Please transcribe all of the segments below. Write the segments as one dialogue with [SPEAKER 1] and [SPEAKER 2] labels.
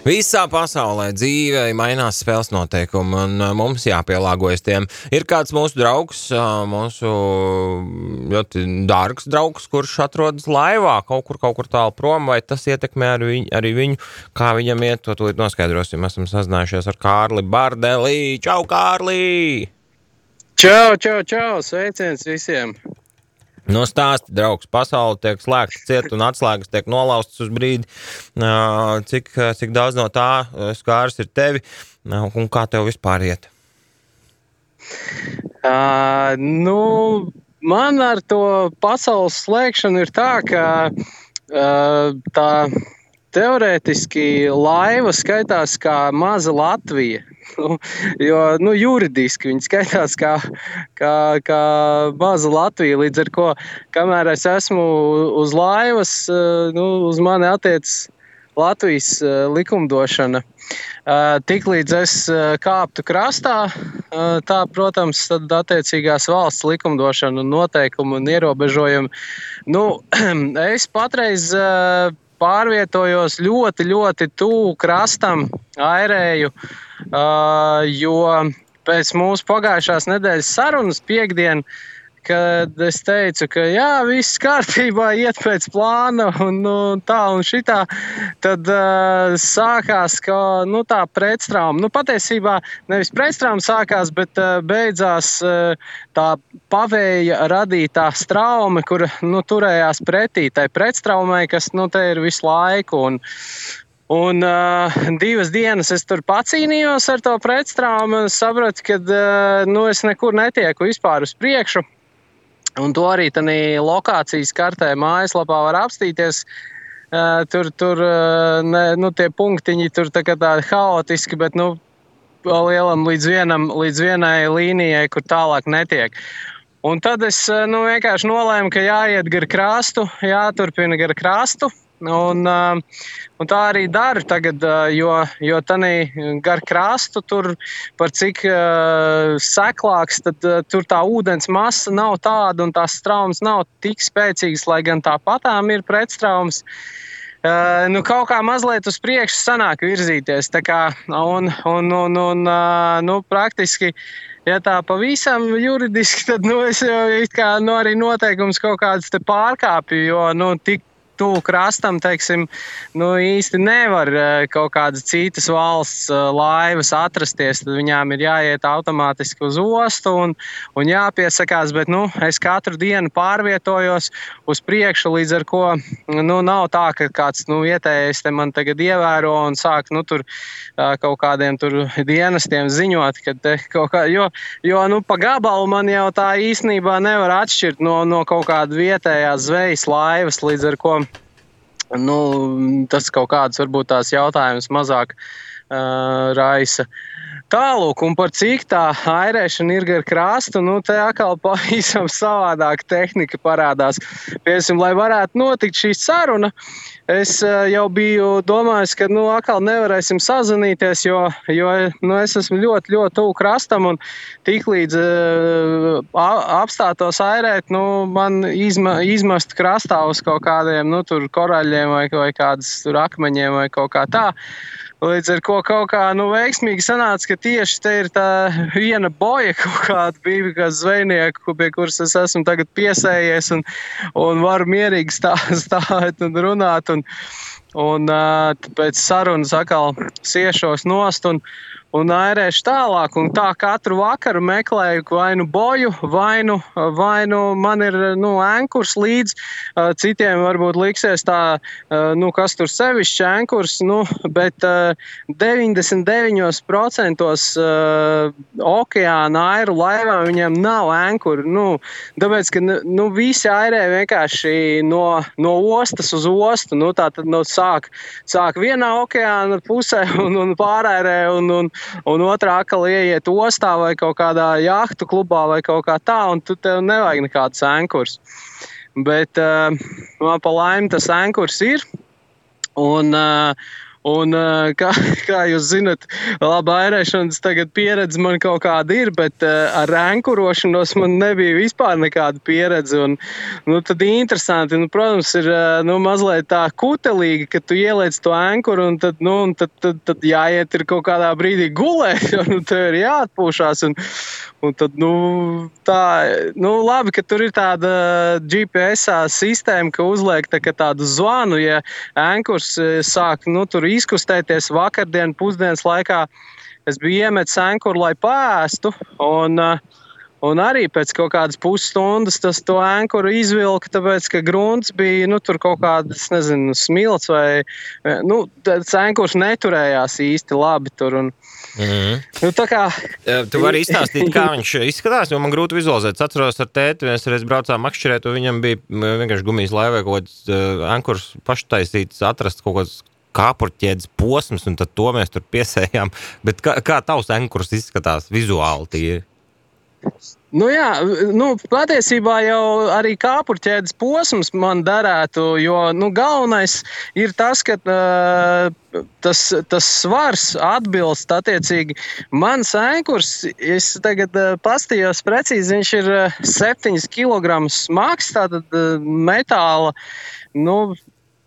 [SPEAKER 1] Visā pasaulē dzīvē mainās spēles noteikumi, un mums jāpielāgojas tiem. Ir kāds mūsu draugs, mūsu ļoti dārgs draugs, kurš atrodas laivā kaut kur tālu prom, vai tas ietekmē arī viņu, kā viņam iet, to tūlīt noskaidrosim. Esam sazinājušies ar Kārli Bardelī. Čau, Kārli!
[SPEAKER 2] Čau, sveiciens visiem!
[SPEAKER 1] No stāsti, draugs, pasaule tiek slēgta ciet un atslēgas tiek nolaustas uz brīdi. Cik daudz no tā skārs ir tevi un kā tev vispār iet?
[SPEAKER 2] Man ar to pasaules slēgšanu ir tā, ka tā teorētiski laiva skaitās kā maza Latvija. Jo juridiski viņi skaitās kā maza Latvija, līdz ar ko, kamēr es esmu uz laivas, uz mani attiecas Latvijas likumdošana. Tiklīdz es kāptu krastā, tā, protams, tad attiecīgās valsts likumdošana un noteikumi un ierobežojumi. Es patreiz pārvietojos ļoti, ļoti tuvu krastam, airēju, jo pēc mūsu pagājušās nedēļas sarunas piekdien, kad es teicu, ka jā, viss kārtībā, iet pēc plāna un tā un šitā, tad sākās tā pretstrauma. Patiesībā nevis pretstrauma sākās, bet beidzās tā pavēja radītā straume, kur turējās pretī tai pretstraumai, kas te ir visu laiku. Un 2 dienas es tur pacīnījos ar to pretstraumu un sapratu, ka es nekur netieku vispār uz priekšu. Un to arī tādā lokācijas kartē mājaslapā var apstīties. Tur tie punktiņi tur tā haotiski, bet lielam līdz vienai līnijai, kur tālāk netiek. Un tad es vienkārši nolēmu, ka jāiet gar krastu, jāturpina gar krastu. Un tā arī daru tagad, jo tādī gar krastu tur par cik seklāks, tad tur tā ūdens masa nav tāda un tās straumes nav tik spēcīgas, lai gan tāpatām ir pretstraumes. Kaut kā mazliet uz priekšu sanāk virzīties. Tā kā, praktiski, ja tā pavisam juridiski, tad es jau arī noteikums kaut kādas te pārkāpju, jo tik tuvu krastam, teiksim, īsti nevar kaut kādas citas valsts laivas atrasties, tad viņām ir jāiet automātiski uz ostu un jāpiesakās, bet es katru dienu pārvietojos uz priekšu, līdz ar ko nav tā, ka kāds vietējais te man tagad ievēro un sāk tur kaut kādiem tur dienestiem ziņot, ka te kaut kā, jo pa gabalu man jau tā īstenībā nevar atšķirt no kaut kāda vietējās zvejas laivas, līdz ar ko tas kaut kāds varbūt tās jautājums mazāk raisa. Tālūk, un par cik tā airēšana ir gar krastu, te atkal pavisam savādāka tehnika parādās. Piemēram, lai varētu notikt šī saruna, es jau biju domājis, ka atkal nevarēsim sazvanīties, jo es esmu ļoti, ļoti tuvu krastam un tiklīdz apstātos airēt, man izmest krastā uz kaut kādiem tur koraļiem vai kādas tur akmeņiem vai kaut kā tā. Līdz ar ko kaut kā veiksmīgi sanāca, ka tieši te ir tā viena boja kaut kāda bija, kā zvejnieku, pie kuras es esmu tagad piesējies un varu mierīgi stāvēt un runāt. Un pēc sarunas atkal siešos nost un airēšu tālāk. Un tā katru vakaru meklēju vai boju, vai man ir ankurs līdz. Citiem varbūt liksies tā, kas tur sevišķi ankurs, bet 99% okeāna airu laivām viņiem nav ankuru. Tāpēc, ka visi airē vienkārši no ostas uz ostu. Tātad sāk vienā okeāna pusē un pārairē un otrā atkal ieiet ostā vai kaut kādā jahtu klubā vai kaut kā tā, un tu tev nevajag nekāds ankurs. Bet man pa laimi tas ankurs ir, un Un, kā jūs zinat, labi, airēšanas tagad pieredze man kaut kāda ir, bet ar ankurošanos man nebija vispār nekāda pieredze. Un, tad interesanti, protams, ir mazliet tā kutelīgi, ka tu ieliec to ankuru un tad jāiet ir kaut kādā brīdī gulēt, jo tev ir jāatpūšās. Un tad, labi, ka tur ir tāda GPS sistēma, ka uzliek tādu zvanu, ja ankurs sāk, tur izkustēties vakardien pusdienas laikā. Es biju iemetis ankuru, lai pāēstu, un arī pēc kaut kādas pusstundas to ankuru izvilka, tāpēc, ka grunts bija, tur kaut kādas, nezinu, smilts vai, tas ankurs neturējās īsti labi tur. Tā kā...
[SPEAKER 1] Tu vari izstāstīt, kā viņš izskatās, jo man grūti vizualizēt. Es atceros ar tēti, mēs reiz braucām makšķerēt, un viņam bija vienkārši gumijas laivē kaut kāds ankurs paštaisīts, atrast kaut kāds kāpurķēdes posms, un tad to mēs tur piesējām. Bet kā tavs ankurs izskatās vizuāli tīri?
[SPEAKER 2] Patiesībā jau arī kāpurķēdes posms man derētu, jo galvenais ir tas, ka tas svars atbilst attiecīgi. Mans ankurs, es tagad pastījos precīzi, viņš ir 7 kg smags, tātad metāla,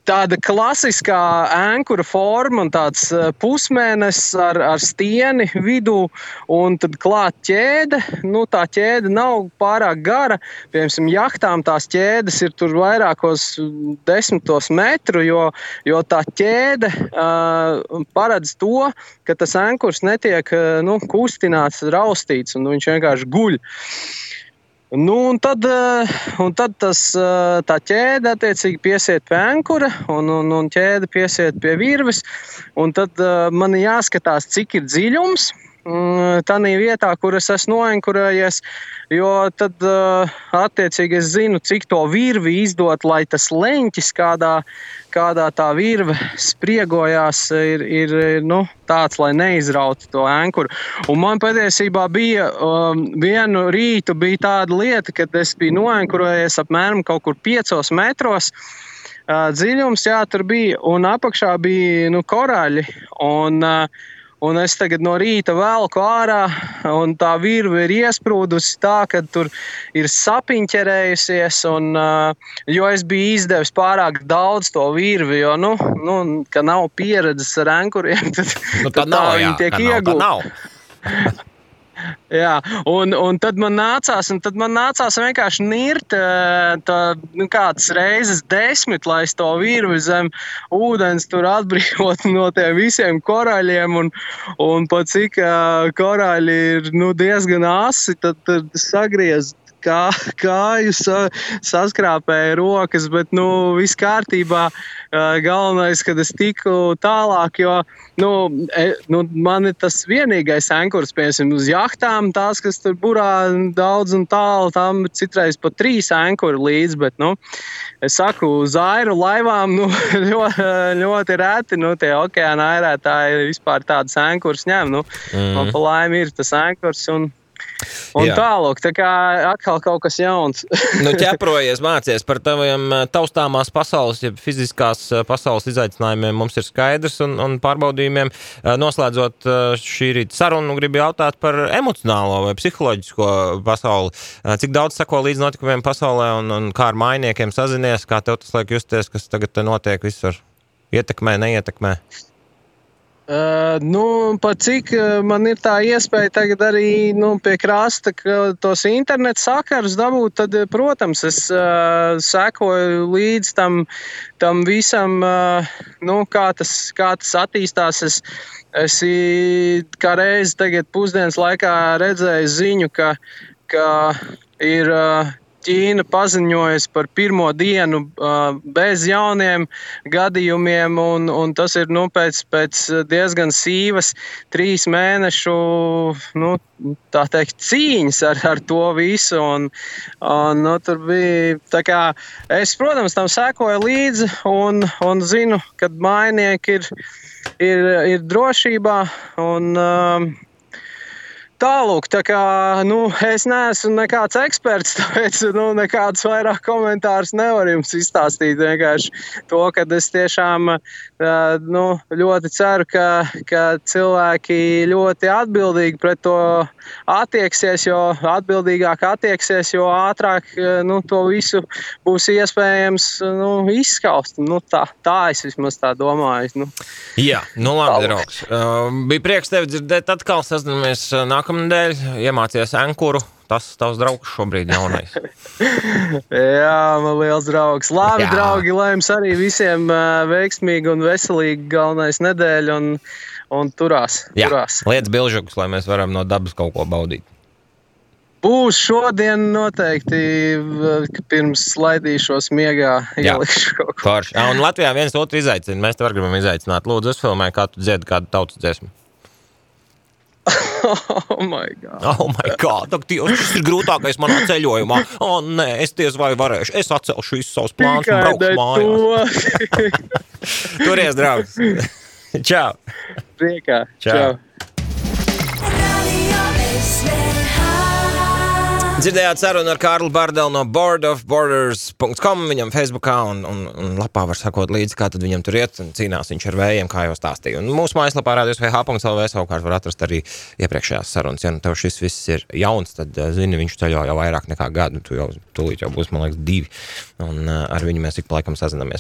[SPEAKER 2] tāda klasiskā ankura forma un tāds pusmēnesis ar stieni vidū un tad klāt ķēde. Tā ķēde nav pārāk gara. Piemēram, jahtām tās ķēdes ir tur vairākos 10 metru, jo tā ķēde paredz to, ka tas ankurs netiek kustināts, raustīts un viņš vienkārši guļ. Un tad tā ķēde attiecīgi piesiet pie ankura un ķēde piesiet pie virves. Un tad man jāskatās, cik ir dziļums tādā vietā, kur es esmu noankurējies, jo tad attiecīgi es zinu, cik to virvi izdot, lai tas leņķis, kādā tā virve spriegojās, ir tāds, lai neizrautu to ankuru. Un man patiesībā bija vienu rītu bija tāda lieta, kad es biju noankurējies apmēram kaut kur 5 metros. Dziļums, tur bija, un apakšā bija korāļi, un es tagad no rīta velku ārā, un tā virve ir iesprūdusi tā, ka tur ir sapiņķerējusies, jo es biju izdevis pārāk daudz to virvi, jo, ka nav pieredzes ar ankuriem, tad viņi tiek iegūti. Jā, un tad man nācās vienkārši nirt kādas reizes 10, lai es to virvi zem ūdens tur atbrīvot no tiem visiem korāļiem, un pat cik korāļi ir diezgan asi, tad sagriez kāju, saskrāpēja rokas, bet viss kārtībā. Galvenais, kad es tiku tālāk, jo man ir tas vienīgais ankurs, piemēram, uz jahtām, tās, kas tur burā daudz un tālu, tam citreiz pat 3 ankuri līdz, bet, es saku, uz airu laivām, ļoti reti, tie okeāna airētāji vispār tādas ankurs ņem, man pa laimi ir tas ankurs un tālāk, tā kā atkal kaut kas jauns.
[SPEAKER 1] Ķeprojies, mācies par taviem taustāmās pasaules, ja fiziskās pasaules izaicinājumiem mums ir skaidrs un pārbaudījumiem. Noslēdzot šī rīta sarunu, gribu jautāt par emocionālo vai psiholoģisko pasauli. Cik daudz sako līdz notikumiem pasaulē un kā ar mainiekiem sazinies, kā tev tas liek justies, kas tagad notiek visur? Ietekmē, neietekmē?
[SPEAKER 2] Pat cik man ir tā iespēja tagad arī pie krasta tos internet sakarus dabūt, tad, protams, es sekoju līdz tam visam, kā tas attīstās. Es kā reizi tagad pusdienas laikā redzēju ziņu, ka ir Ķīna paziņojas par pirmo dienu bez jauniem gadījumiem, un tas ir pēc diezgan sīvas 3 mēnešu tā teikt, cīņas ar to visu. Un tur bija tā kā es, protams, tam sekoju līdzi un zinu, kad mājnieki ir drošībā un Tālūk, tā kā, es neesmu nekāds eksperts, tāpēc, nekādus vairāk komentārus nevaru jums izstāstīt. Vienkārši to, ka es tiešām, ļoti ceru, ka cilvēki ļoti atbildīgi pret to attieksies, jo atbildīgāk attieksies, jo ātrāk, to visu būs iespējams, izskaust. Tā es vismaz tā domāju.
[SPEAKER 1] Jā, labi, draugs. Bija prieks tevi dzirdēt atkal, sazināmies nākamnedēļ, iemācies enkuru. Tas tavs draugs šobrīd jaunais.
[SPEAKER 2] Jā, man liels draugs. Labi, draugi, lai jums arī visiem veiksmīgi un veselīgi galvenais nedēļa un turās.
[SPEAKER 1] Liec bilžukus, lai mēs varam no dabas kaut ko baudīt.
[SPEAKER 2] Būs šodien noteikti, pirms slaidīšos miegā, ielikšu kaut ko.
[SPEAKER 1] Forši. Un Latvijā viens otru izaicina. Mēs tev gribam izaicināt. Lūdzu, uzfilmē, kā tu dziedi kādu tautas dziesmu.
[SPEAKER 2] Oh my God.
[SPEAKER 1] Tas ir grūtākais manā ceļojumā. Nē, es diez vai varēšu. Es atcelšu visus savus plānus un braukšu mājās. Turies, draugs. Čau.
[SPEAKER 2] Priekā. Čau.
[SPEAKER 1] Dzirdējāt sarunu ar Kārli Bardelu no boardofborders.com. Viņam Facebookā un lapā var sakot līdzi, kā tad viņam tur iet un cīnās viņš ar vējiem, kā jau stāstīja. Un mūsu mājaslapā radios.vh.lv savukārt var atrast arī iepriekšējās sarunas. Ja tev šis viss ir jauns, tad zini, viņš ceļo jau vairāk nekā gadu. Tu jau tūlīt jau būs, man liekas, 2. Un ar viņu mēs ik pa laikam sazināmies.